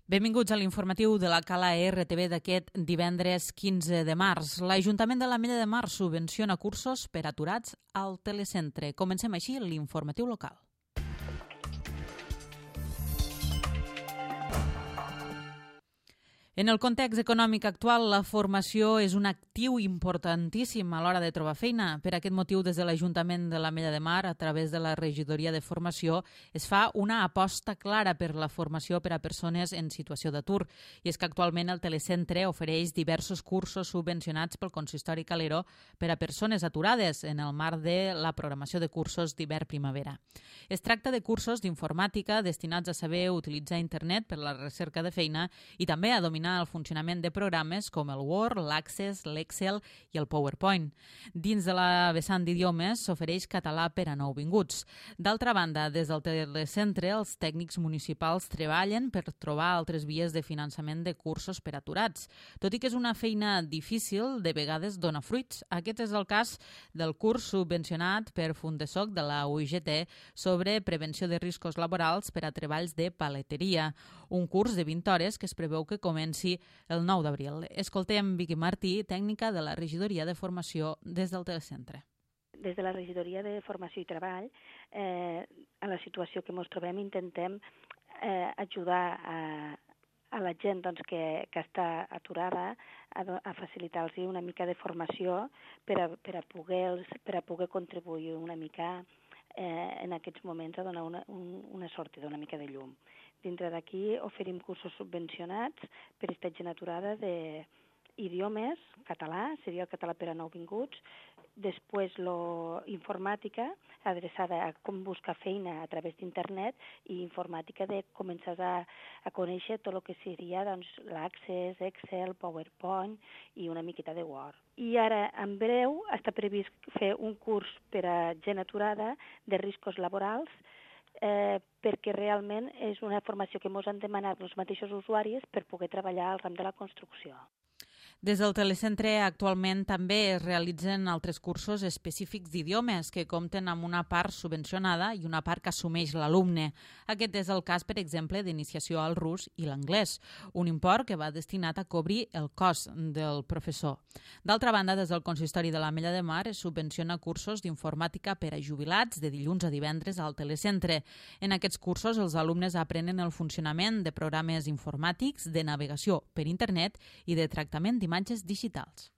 Benvinguts a l'informatiu de la Cala RTV d'aquest divendres 15 de març. L'Ajuntament de l'Ametlla de Mar subvenciona cursos per aturats al telecentre. Comencem així l'informatiu local. En el context econòmic actual, la formació és un actiu importantíssim a l'hora de trobar feina. Per aquest motiu, des de l'Ajuntament de l'Ametlla de Mar, a través de la Regidoria de Formació, es fa una aposta clara per la formació per a persones en situació d'atur. I és que actualment el telecentre ofereix diversos cursos subvencionats pel Consistori Calero per a persones aturades en el marc de la programació de cursos d'hivern-primavera. Es tracta de cursos d'informàtica destinats a saber utilitzar internet per la recerca de feina i també a dominar el funcionament de programes com el Word, l'Access, l'Excel i el PowerPoint. Dins de la vessant d'idiomes s'ofereix català per a nouvinguts. D'altra banda, des del telecentre, els tècnics municipals treballen per trobar altres vies de finançament de cursos per aturats. Tot i que és una feina difícil, de vegades dona fruits. Aquest és el cas del curs subvencionat per Fundesoc de la UIGT sobre prevenció de riscos laborals per a treballs de paleteria. Un curs de 20 hores que es preveu que comenci el 9 d'abril. Escoltem Vicky Martí, tècnica de la Regidoria de Formació des del telecentre. Des de la Regidoria de Formació i Treball, a la situació que ens trobem, intentem ajudar a la gent que està aturada a facilitar-los una mica de formació per a poder contribuir una mica en aquests moments a donar una sortida, una mica de llum. Dintre d'aquí oferim cursos subvencionats per a aquesta gent aturada d'idiomes, català, seria el català per a nouvinguts, després informàtica, adreçada a com buscar feina a través d'internet, i informàtica de començar a conèixer tot el que seria l'Access, Excel, PowerPoint i una miqueta de Word. I ara, en breu, està previst fer un curs per a gent aturada de riscos laborals, perquè realment és una formació que ens han demanat els mateixos usuaris per poder treballar al ram de la construcció. Des del telecentre actualment també es realitzen altres cursos específics d'idiomes que compten amb una part subvencionada i una part que assumeix l'alumne. Aquest és el cas, per exemple, d'iniciació al rus i l'anglès, un import que va destinat a cobrir el cost del professor. D'altra banda, des del Consistori de l'Ametlla de Mar es subvenciona cursos d'informàtica per a jubilats de dilluns a divendres al telecentre. En aquests cursos els alumnes aprenen el funcionament de programes informàtics, de navegació per internet i de tractament d'imatges digitals.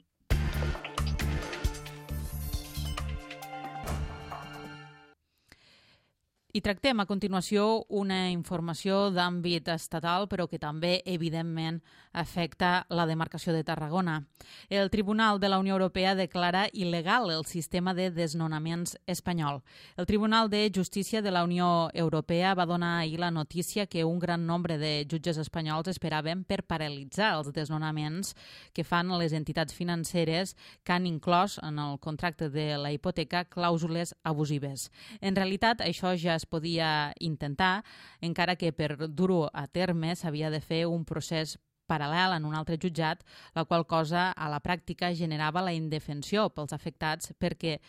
I tractem a continuació una informació d'àmbit estatal, però que també, evidentment, afecta la demarcació de Tarragona. El Tribunal de la Unió Europea declara il·legal el sistema de desnonaments espanyol. El Tribunal de Justícia de la Unió Europea va donar ahir la notícia que un gran nombre de jutges espanyols esperaven per paralitzar els desnonaments que fan les entitats financeres que han inclòs en el contracte de la hipoteca clàusules abusives. En realitat, això ja es podia intentar, encara que per dur-ho a terme s'havia de fer un procés paral·lel en un altre jutjat, la qual cosa a la pràctica generava la indefensió pels afectats perquè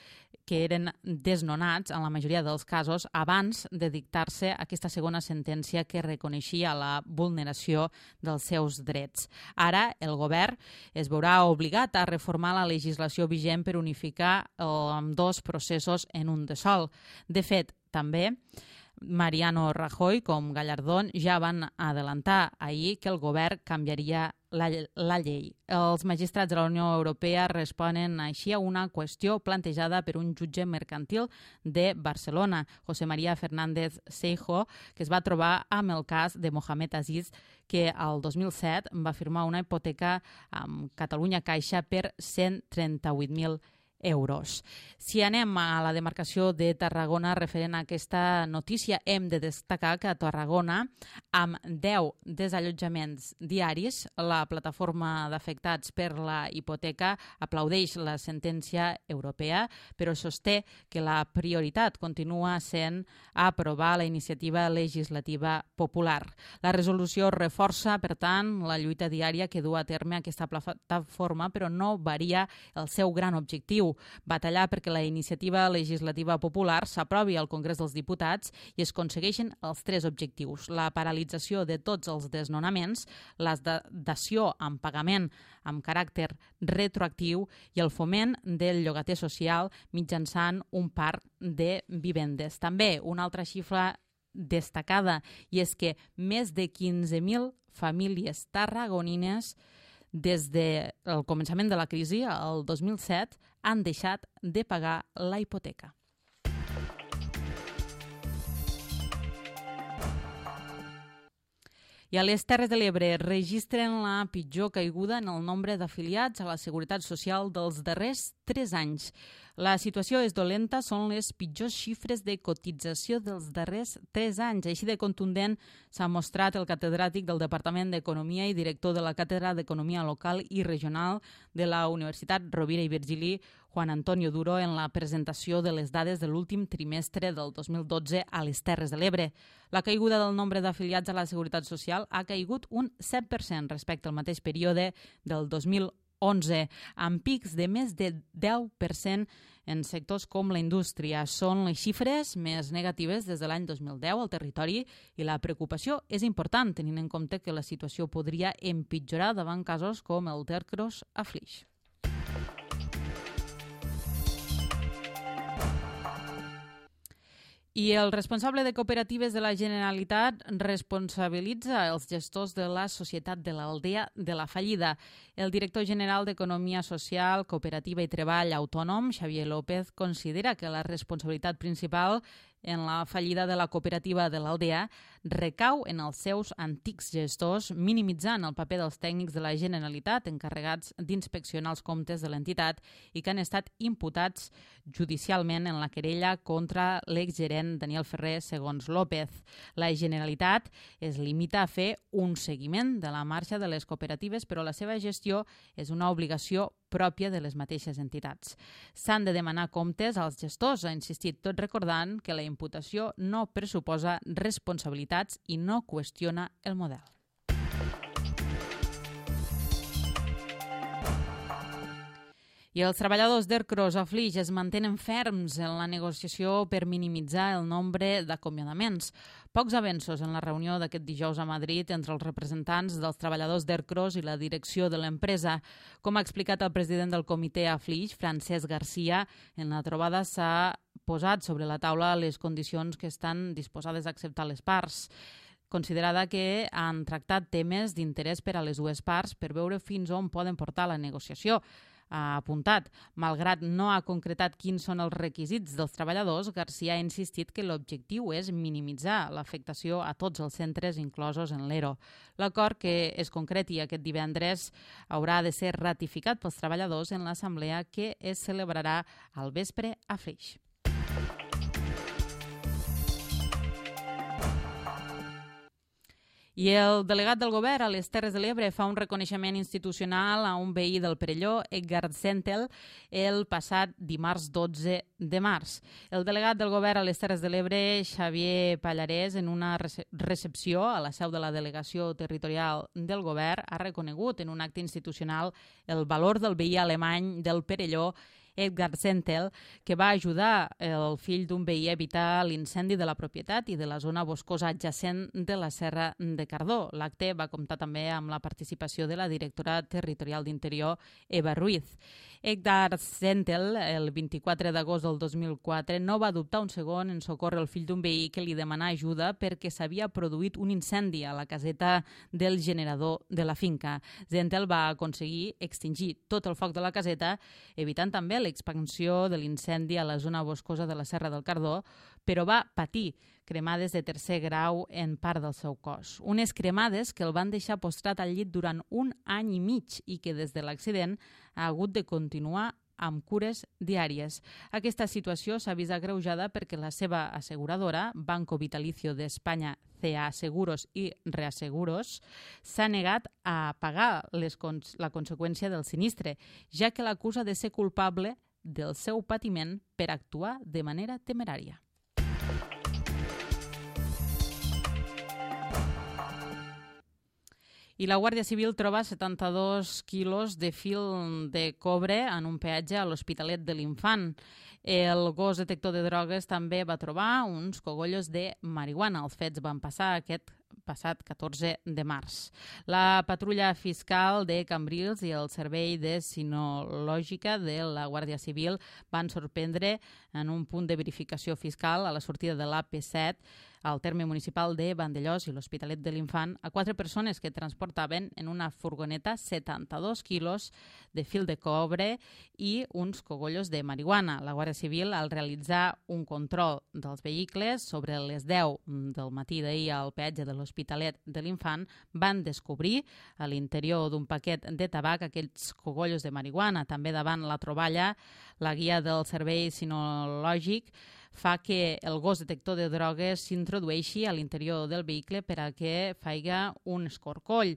eren desnonats, en la majoria dels casos, abans de dictar-se aquesta segona sentència que reconeixia la vulneració dels seus drets. Ara, el govern es veurà obligat a reformar la legislació vigent per unificar ambdós processos en un de sol. De fet, també Mariano Rajoy com Gallardón ja van adelantar ahir que el govern canviaria la llei. Els magistrats de la Unió Europea responen així a una qüestió plantejada per un jutge mercantil de Barcelona, José María Fernández Seijo, que es va trobar amb el cas de Mohamed Aziz, que al 2007 va firmar una hipoteca amb Catalunya Caixa per 138.000 euros. Si anem a la demarcació de Tarragona referent a aquesta notícia, hem de destacar que a Tarragona, amb 10 desallotjaments diaris, la plataforma d'afectats per la hipoteca aplaudeix la sentència europea, però sosté que la prioritat continua sent aprovar la iniciativa legislativa popular. La resolució reforça, per tant, la lluita diària que du a terme aquesta plataforma, però no varia el seu gran objectiu, objectiu: batallar perquè la iniciativa legislativa popular s'aprovi al Congrés dels Diputats i es aconsegueixin els 3 objectius: la paralització de tots els desnonaments, la dació amb pagament amb caràcter retroactiu i el foment del llogater social mitjançant un parc de vivendes. També una altra xifra destacada, i és que més de 15.000 famílies tarragonines des del començament de la crisi, el 2007, han deixat de pagar la hipoteca. I a les Terres de l'Ebre registren la pitjor caiguda en el nombre d'afiliats a la Seguretat Social dels darrers 3 anys. La situació és dolenta, són les pitjors xifres de cotització dels darrers 3 anys. Així de contundent s'ha mostrat el catedràtic del Departament d'Economia i director de la Càtedra d'Economia Local i Regional de la Universitat Rovira i Virgili, Juan Antonio Duro, en la presentació de les dades de l'últim trimestre del 2012 a les Terres de l'Ebre. La caiguda del nombre d'afiliats a la Seguretat Social ha caigut un 7% respecte al mateix període del 2011, amb pics de més de 10% en sectors com la indústria. Són les xifres més negatives des de l'any 2010 al territori i la preocupació és important, tenint en compte que la situació podria empitjorar davant casos com el d'Ercros a Flix. I el responsable de cooperatives de la Generalitat responsabilitza els gestors de la Societat de l'Aldea de la fallida. El director general d'Economia Social, Cooperativa i Treball Autònom, Xavier López, considera que la responsabilitat principal en la fallida de la cooperativa de l'Aldea recau en els seus antics gestors, minimitzant el paper dels tècnics de la Generalitat encarregats d'inspeccionar els comptes de l'entitat i que han estat imputats judicialment en la querella contra l'exgerent Daniel Ferrer, segons López. La Generalitat es limita a fer un seguiment de la marxa de les cooperatives, però la seva gestió és una obligació pròpia de les mateixes entitats. S'han de demanar comptes als gestors, ha insistit, tot recordant que la imputació no pressuposa responsabilitats i no qüestiona el model. I els treballadors d'Ercros a Flix es mantenen ferms en la negociació per minimitzar el nombre d'acomiadaments. Pocs avenços en la reunió d'aquest dijous a Madrid entre els representants dels treballadors d'Ercros i la direcció de l'empresa. Com ha explicat el president del comitè a Flix, Francesc Garcia, en la trobada s'ha posat sobre la taula les condicions que estan disposades a acceptar les parts, considerada que han tractat temes d'interès per a les dues parts per veure fins on poden portar la negociació. Ha apuntat. Malgrat no ha concretat quins són els requisits dels treballadors, Garcia ha insistit que l'objectiu és minimitzar l'afectació a tots els centres inclosos en l'ERO. L'acord que es concreti aquest divendres haurà de ser ratificat pels treballadors en l'assemblea que es celebrarà al vespre a Flix. I el delegat del govern a les Terres de l'Ebre fa un reconeixement institucional a un veí del Perelló, Edgar Zentel, el passat dimarts 12 de març. El delegat del govern a les Terres de l'Ebre, Xavier Pallarès, en una recepció a la seu de la delegació territorial del govern, ha reconegut en un acte institucional el valor del veí alemany del Perelló, Edgar Zentel, que va ajudar el fill d'un veí a evitar l'incendi de la propietat i de la zona boscosa adjacent de la Serra de Cardó. L'acte va comptar també amb la participació de la directora territorial d'Interior, Eva Ruiz. Edgar Zentel, el 24 d'agost del 2004, no va dubtar un segon en socórrer el fill d'un veí que li demanà ajuda perquè s'havia produït un incendi a la caseta del generador de la finca. Zentel va aconseguir extingir tot el foc de la caseta, evitant també l'expansió de l'incendi a la zona boscosa de la Serra del Cardó, però va patir cremades de tercer grau en part del seu cos. Unes cremades que el van deixar postrat al llit durant 1 any i mig i que des de l'accident ha hagut de continuar amb cures diàries. Aquesta situació s'ha vist agreujada perquè la seva asseguradora, Banco Vitalicio de España, CA Seguros i Reaseguros, s'ha negat a pagar la conseqüència del sinistre, ja que l'acusa de ser culpable del seu patiment per actuar de manera temerària. I la Guàrdia Civil troba 72 quilos de fil de cobre en un peatge a l'Hospitalet de l'Infant. El gos detector de drogues també va trobar uns cogollos de marihuana. Els fets van passar aquest passat 14 de març. La patrulla fiscal de Cambrils i el servei de sinològica de la Guàrdia Civil van sorprendre en un punt de verificació fiscal a la sortida de l'AP7 al terme municipal de Vandellòs i l'Hospitalet de l'Infant a 4 persones que transportaven en una furgoneta 72 quilos de fil de cobre i uns cogollos de marihuana. La Guàrdia Civil, al realitzar un control dels vehicles sobre les 10 del matí d'ahir al peatge de l'Hospitalet de l'Infant, van descobrir a l'interior d'un paquet de tabac aquells cogollos de marihuana. També davant la troballa, la guia del servei sinològic fa que el gos detector de drogues s'introdueixi a l'interior del vehicle per a que faiga un escorcoll.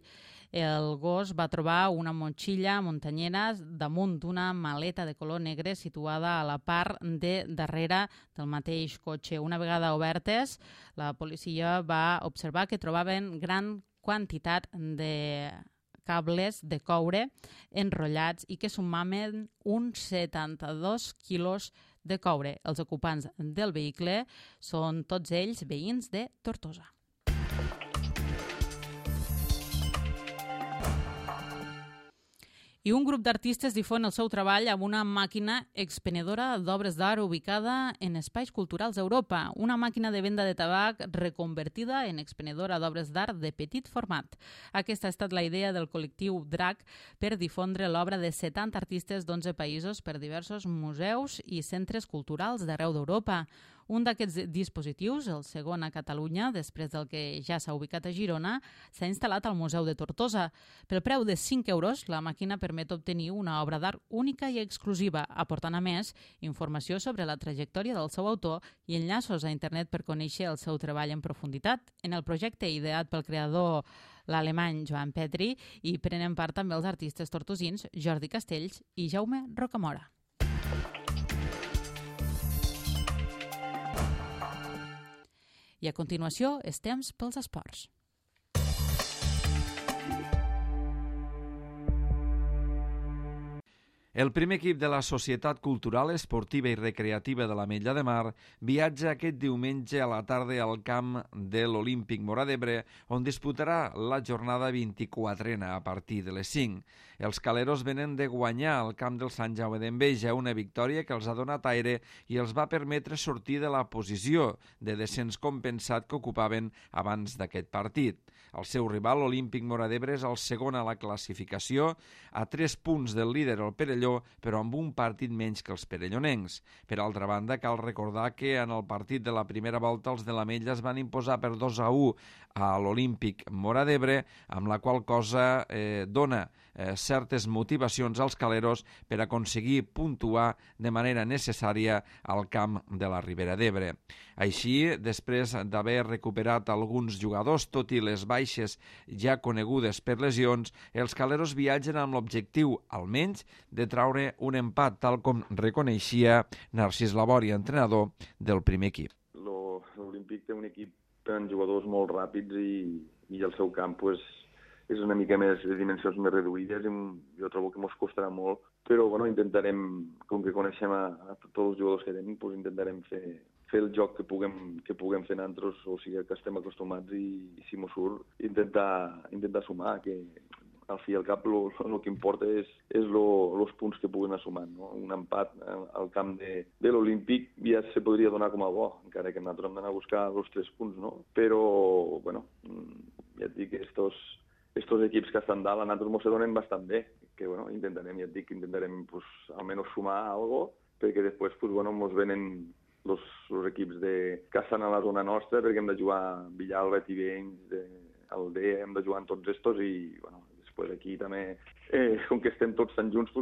El gos va trobar una motxilla muntanyera damunt d'una maleta de color negre situada a la part de darrere del mateix cotxe. Una vegada obertes, la policia va observar que trobaven gran quantitat de cables de coure enrotllats i que sumaven uns 72 quilos de coure. Els ocupants del vehicle són tots ells veïns de Tortosa. I un grup d'artistes difon el seu treball amb una màquina expenedora d'obres d'art ubicada en espais culturals d'Europa. Una màquina de venda de tabac reconvertida en expenedora d'obres d'art de petit format. Aquesta ha estat la idea del col·lectiu DRAC per difondre l'obra de 70 artistes d'11 països per diversos museus i centres culturals d'arreu d'Europa. Un d'aquests dispositius, el segon a Catalunya, després del que ja s'ha ubicat a Girona, s'ha instal·lat al Museu de Tortosa. Pel preu de 5 euros, la màquina permet obtenir una obra d'art única i exclusiva, aportant a més informació sobre la trajectòria del seu autor i enllaços a internet per conèixer el seu treball en profunditat. En el projecte ideat pel creador l'alemany Joan Petri hi prenen part també els artistes tortosins Jordi Castells i Jaume Rocamora. I a continuació, és temps pels esports. El primer equip de la Societat Cultural, Esportiva i Recreativa de l'Ametlla de Mar viatja aquest diumenge a la tarda al camp de l'Olímpic Móra d'Ebre, on disputarà la jornada 24a a partir de les 5. Els caleros venen de guanyar al camp del Sant Jaume d'Enveja, una victòria que els ha donat aire i els va permetre sortir de la posició de descens compensat que ocupaven abans d'aquest partit. El seu rival, l'Olímpic Móra d'Ebre, és el segon a la classificació, a 3 punts del líder, el Perelló, però amb un partit menys que els perellonencs. Per altra banda, cal recordar que en el partit de la primera volta els de l'Ametlla es van imposar per 2-1 a l'Olímpic Móra d'Ebre, amb la qual cosa dona certes motivacions als caleros per aconseguir puntuar de manera necessària al camp de la Ribera d'Ebre. Així, després d'haver recuperat alguns jugadors, tot i les baixes ja conegudes per lesions, els caleros viatgen amb l'objectiu, almenys, de traure un empat, tal com reconeixia Narcís Labori, entrenador del primer equip. L'Olímpic té un equip amb jugadors molt ràpids i el seu camp és una mica més de dimensions més reduïdes i jo trobo que ens costarà molt, però intentarem, com que coneixem a tots els jugadors que tenim, intentarem fer el joc que puguem fer nosaltres, o sigui que estem acostumats i si mos surt, intentar sumar, que al fi i al cap el que importa és els punts que puguin anar sumant. No? Un empat al camp de l'Olímpic ja se podria donar com a bo, encara que nosaltres hem d'anar a buscar els 3 punts, no? Però, ja et dic que estos equips que estan dalt a nosaltres ens donen bastant bé, que intentarem almenys sumar alguna cosa, perquè després ens venen els equips que estan a la zona nostra, perquè hem de jugar Villalba, Tivenys, Aldea, hem de jugar amb tots estos i després aquí també, com que estem tots tan junts,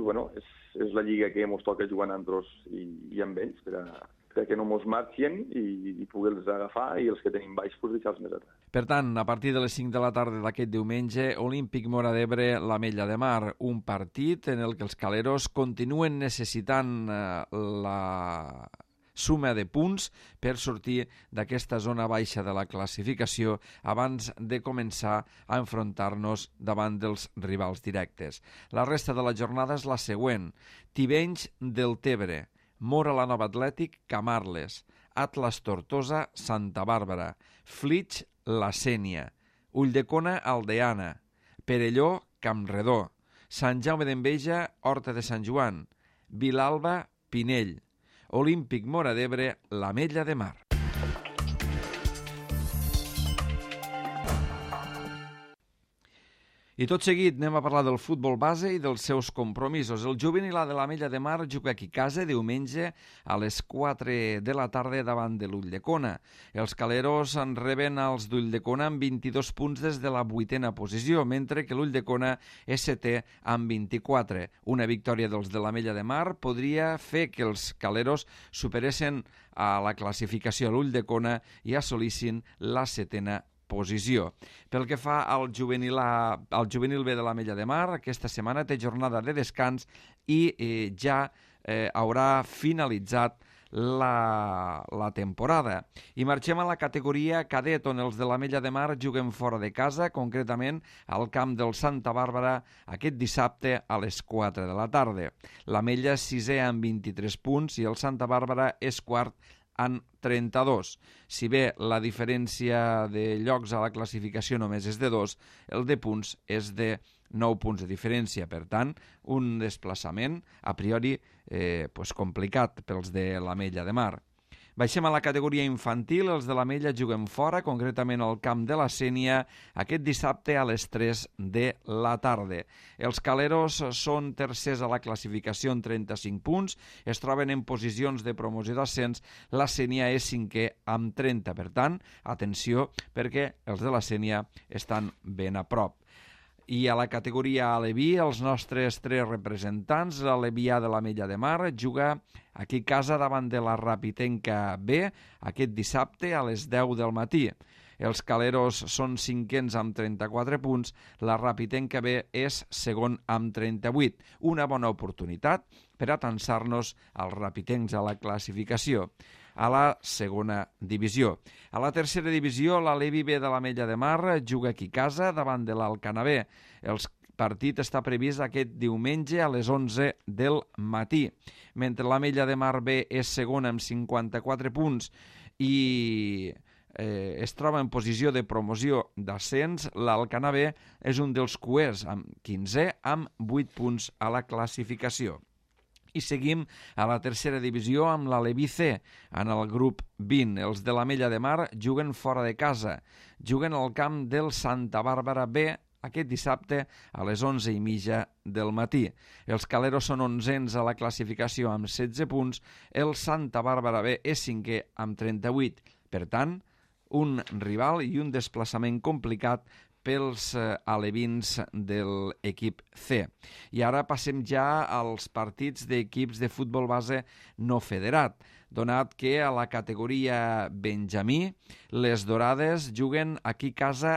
és la lliga que ens toca jugar amb nosaltres i amb ells, perquè no mos marxin i poder-los agafar i els que tenim baix deixar-los més atrás. Per tant, a partir de les 5 de la tarda d'aquest diumenge, Olímpic Móra d'Ebre, l'Ametlla de Mar, un partit en el que els caleros continuen necessitant la suma de punts per sortir d'aquesta zona baixa de la classificació abans de començar a enfrontar-nos davant dels rivals directes. La resta de la jornada és la següent. Tivenys del Tebre, Móra la Nova Atlètic, Camarles, Atlas Tortosa, Santa Bàrbara, Flix, La Sénia, Ulldecona, Aldeana, Perelló, Campredó, Sant Jaume d'Enveja, Horta de Sant Joan, Vilalba, Pinell, Olímpic Móra d'Ebre, l'Ametlla de Mar. I tot seguit anem a parlar del futbol base i dels seus compromisos. El juvenil de l'Ametlla de Mar juga aquí a casa diumenge a les 4 de la tarda davant de l'Ulldecona. Els caleros en reben els d'Ulldecona amb 22 punts des de la 8a posició, mentre que l'Ulldecona és 7è amb 24. Una victòria dels de l'Ametlla de Mar podria fer que els caleros superessin a la classificació a l'Ulldecona i assolissin la 7a posició. Pel que fa al juvenil B de l'Ametlla de Mar, aquesta setmana té jornada de descans i ja haurà finalitzat la temporada. I marxem a la categoria cadet, on els de l'Ametlla de Mar juguen fora de casa, concretament al camp del Santa Bàrbara aquest dissabte a les 4 de la tarda. L'Ametlla és 6è amb 23 punts i el Santa Bàrbara és quart en 32. Si bé la diferència de llocs a la classificació només és de 2, el de punts és de 9 punts de diferència. Per tant, un desplaçament a priori complicat pels de l'Ametlla de Mar. Baixem a la categoria infantil. Els de l'Ametlla juguen fora, concretament al camp de la Sénia, aquest dissabte a les 3 de la tarda. Els caleros són tercers a la classificació en 35 punts, es troben en posicions de promoció d'ascens, la Sénia és 5è amb 30. Per tant, atenció, perquè els de la Sénia estan ben a prop. I a la categoria Aleví, els nostres 3 representants, l'Alevià de l'Ametlla de Mar juga aquí a casa davant de la Rapitenca B aquest dissabte a les 10 del matí. Els caleros són 5ens amb 34 punts, la Rapitenca B és segon amb 38. Una bona oportunitat per atansar-nos als rapitencs a la classificació a la segona divisió. A la tercera divisió, l'Alevi B de l'Ametlla de Mar juga aquí a casa davant de l'Alcanar B. El partit està previst aquest diumenge a les 11 del matí. Mentre l'Ametlla de Mar B és segona amb 54 punts i es troba en posició de promoció d'ascens, l'Alcanar B és un dels cuers amb 15è amb 8 punts a la classificació. I seguim a la tercera divisió amb l'Aleví C, en el grup 20. Els de l'Ametlla de Mar juguen fora de casa. Juguen al camp del Santa Bàrbara B aquest dissabte a les 11:30 del matí. Els caleros són 11ens a la classificació amb 16 punts. El Santa Bàrbara B és 5è amb 38. Per tant, un rival i un desplaçament complicat pels alevins de l'equip C. I ara passem ja als partits d'equips de futbol base no federat, donat que a la categoria Benjamí les Dorades juguen aquí a casa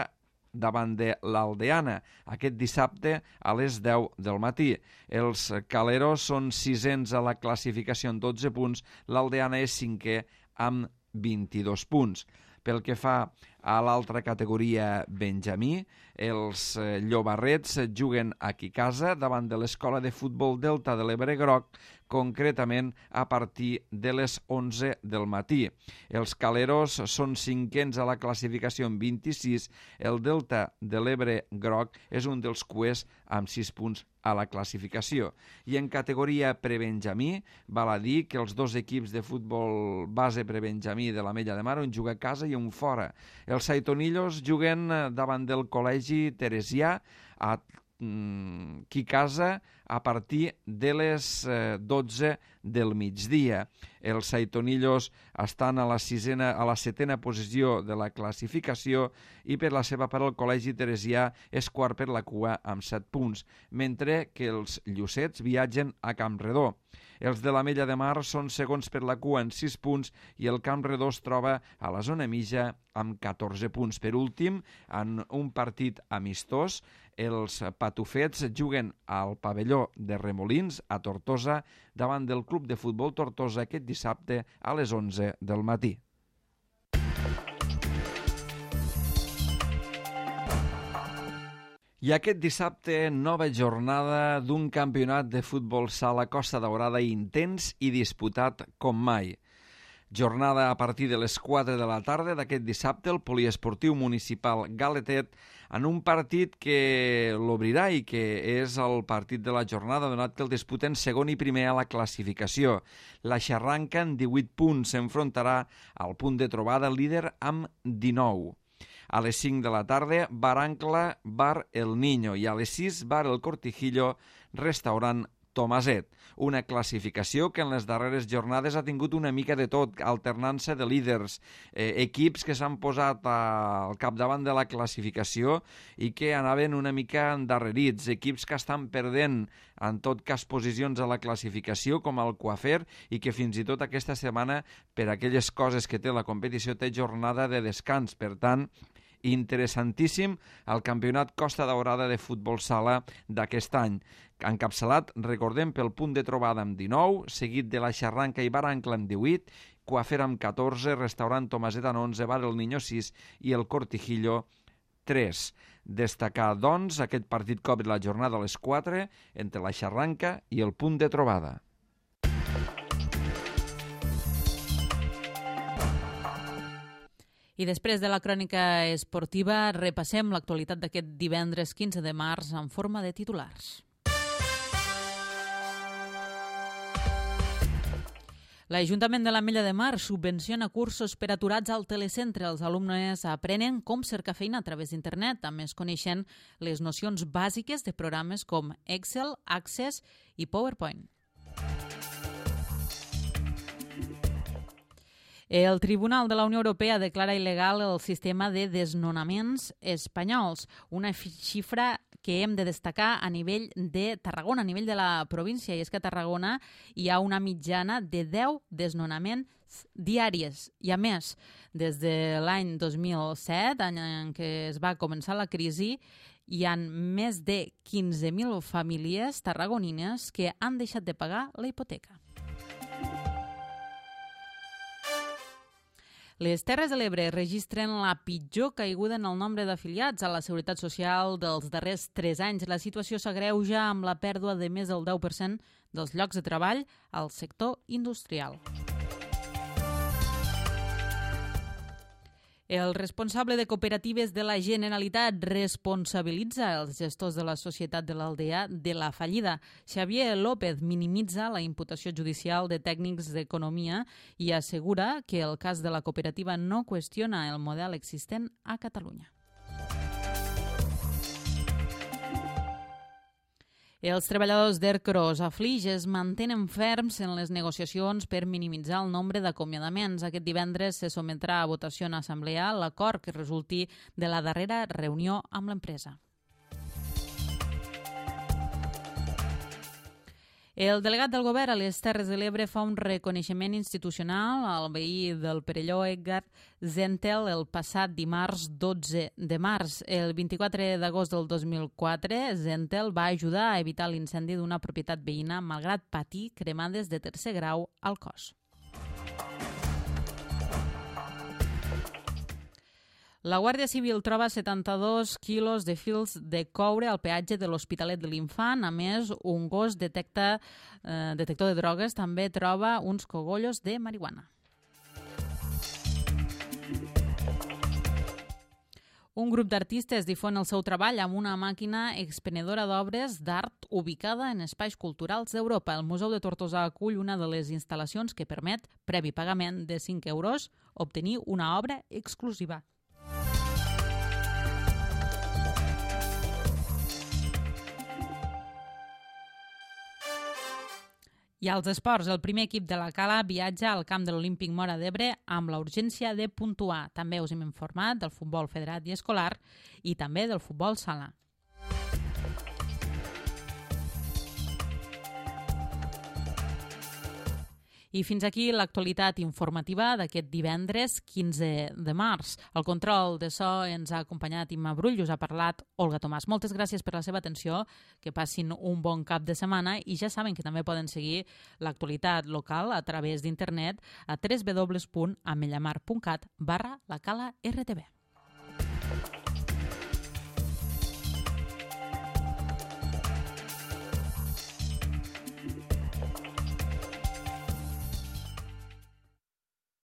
davant de l'Aldeana aquest dissabte a les 10 del matí. Els caleros són 6ens a la classificació amb 12 punts, l'Aldeana és 5è amb 22 punts. Pel que fa a l'altra categoria Benjamí, els llobarrets juguen aquí a casa davant de l'Escola de Futbol Delta de l'Ebre Groc, concretament a partir de les 11 del matí. Els caleros són 5ens a la classificació amb 26, el Delta de l'Ebre Groc és un dels cuers amb 6 punts a la classificació. I en categoria prebenjamí, val a dir que els dos equips de futbol base prebenjamí de l'Ametlla de Mar, un juga a casa i un fora. Els Saitonillos juguen davant del Col·legi Teresià aquí a casa a partir de les 12 del migdia. Els Saitonillos estan a la 7a posició de la classificació i per la seva part el Col·legi Teresià és quart per la cua amb 7 punts, mentre que els Llucets viatgen a Campredó. Els de l'Ametlla de Mar són segons per la cua amb 6 punts i el Campredó es troba a la zona mitja amb 14 punts. Per últim, en un partit amistós, els patufets juguen al pavelló de Remolins, a Tortosa, davant del Club de Futbol Tortosa aquest dissabte a les 11 del matí. I aquest dissabte, nova jornada d'un campionat de futbol sala Costa Daurada intens i disputat com mai. Jornada a partir de les 4 de la tarda d'aquest dissabte al Poliesportiu Municipal Galetet en un partit que l'obrirà i que és el partit de la jornada donat que el disputen segon i primer a la classificació. La Xarranca en 18 punts s'enfrontarà al punt de trobada líder amb 19. A les 5 de la tarda, Bar Ancla, Bar El Niño i a les 6, Bar El Cortijillo, restaurant Tomaset. Una classificació que en les darreres jornades ha tingut una mica de tot, alternança de líders, equips que s'han posat al capdavant de la classificació i que anaven una mica endarrerits, equips que estan perdent en tot cas posicions a la classificació com el Coafer i que fins i tot aquesta setmana, per aquelles coses que té la competició, té jornada de descans. Per tant, interessantíssim el campionat Costa Daurada de futbol sala d'aquest any. Encapçalat, recordem, pel punt de trobada amb 19, seguit de la Xarranca i Bar Ancla amb 18, Coafer amb 14, Restaurant Tomaset amb 11, Bar El Niño 6 i el Cortijillo 3. Destacar, doncs, aquest partit que obre la jornada a les 4 entre la Xarranca i el punt de trobada. I després de la crònica esportiva, repassem l'actualitat d'aquest divendres 15 de març en forma de titulars. L'Ajuntament de l'Ametlla de Mar subvenciona cursos per aturats al telecentre. Els alumnes aprenen com cercar feina a través d'internet. A més, coneixen les nocions bàsiques de programes com Excel, Access i PowerPoint. El Tribunal de la Unió Europea declara il·legal el sistema de desnonaments espanyols, una xifra que hem de destacar a nivell de Tarragona, a nivell de la província, i és que a Tarragona hi ha una mitjana de 10 desnonaments diaris. I a més, des de l'any 2007, any en què es va començar la crisi, hi ha més de 15.000 famílies tarragonines que han deixat de pagar la hipoteca. Les Terres de l'Ebre registren la pitjor caiguda en el nombre d'afiliats a la Seguretat Social dels darrers 3 anys. La situació s'agreuja amb la pèrdua de més del 10% dels llocs de treball al sector industrial. El responsable de cooperatives de la Generalitat responsabilitza els gestors de la Societat de l'Aldea de la fallida. Xavier López minimitza la imputació judicial de tècnics d'economia i assegura que el cas de la cooperativa no qüestiona el model existent a Catalunya. Els treballadors d'Ercros a Flix es mantenen ferms en les negociacions per minimitzar el nombre d'acomiadaments. Aquest divendres se sotmetrà a votació en assemblea l'acord que resulti de la darrera reunió amb l'empresa. El delegat del govern a les Terres de l'Ebre fa un reconeixement institucional al veí del Perelló Edgar Zentel el passat dimarts 12 de març. El 24 d'agost del 2004, Zentel va ajudar a evitar l'incendi d'una propietat veïna malgrat patir cremades de tercer grau al cos. La Guàrdia Civil troba 72 quilos de fils de coure al peatge de l'Hospitalet de l'Infant. A més, un gos detector de drogues també troba uns cogollos de marihuana. Un grup d'artistes difon el seu treball amb una màquina expenedora d'obres d'art ubicada en espais culturals d'Europa. El Museu de Tortosa acull una de les instal·lacions que permet, previ pagament de 5 euros, obtenir una obra exclusiva. I als esports, el primer equip de la Cala viatja al camp de l'Olímpic Móra d'Ebre amb la urgència de puntuar. També us hem informat del futbol federat i escolar i també del futbol sala. I fins aquí l'actualitat informativa d'aquest divendres 15 de març. El control de so ens ha acompanyat Imma Brull, us ha parlat Olga Tomàs. Moltes gràcies per la seva atenció, que passin un bon cap de setmana i ja saben que també poden seguir l'actualitat local a través d'internet a www.amellamar.cat/la Cala RTV.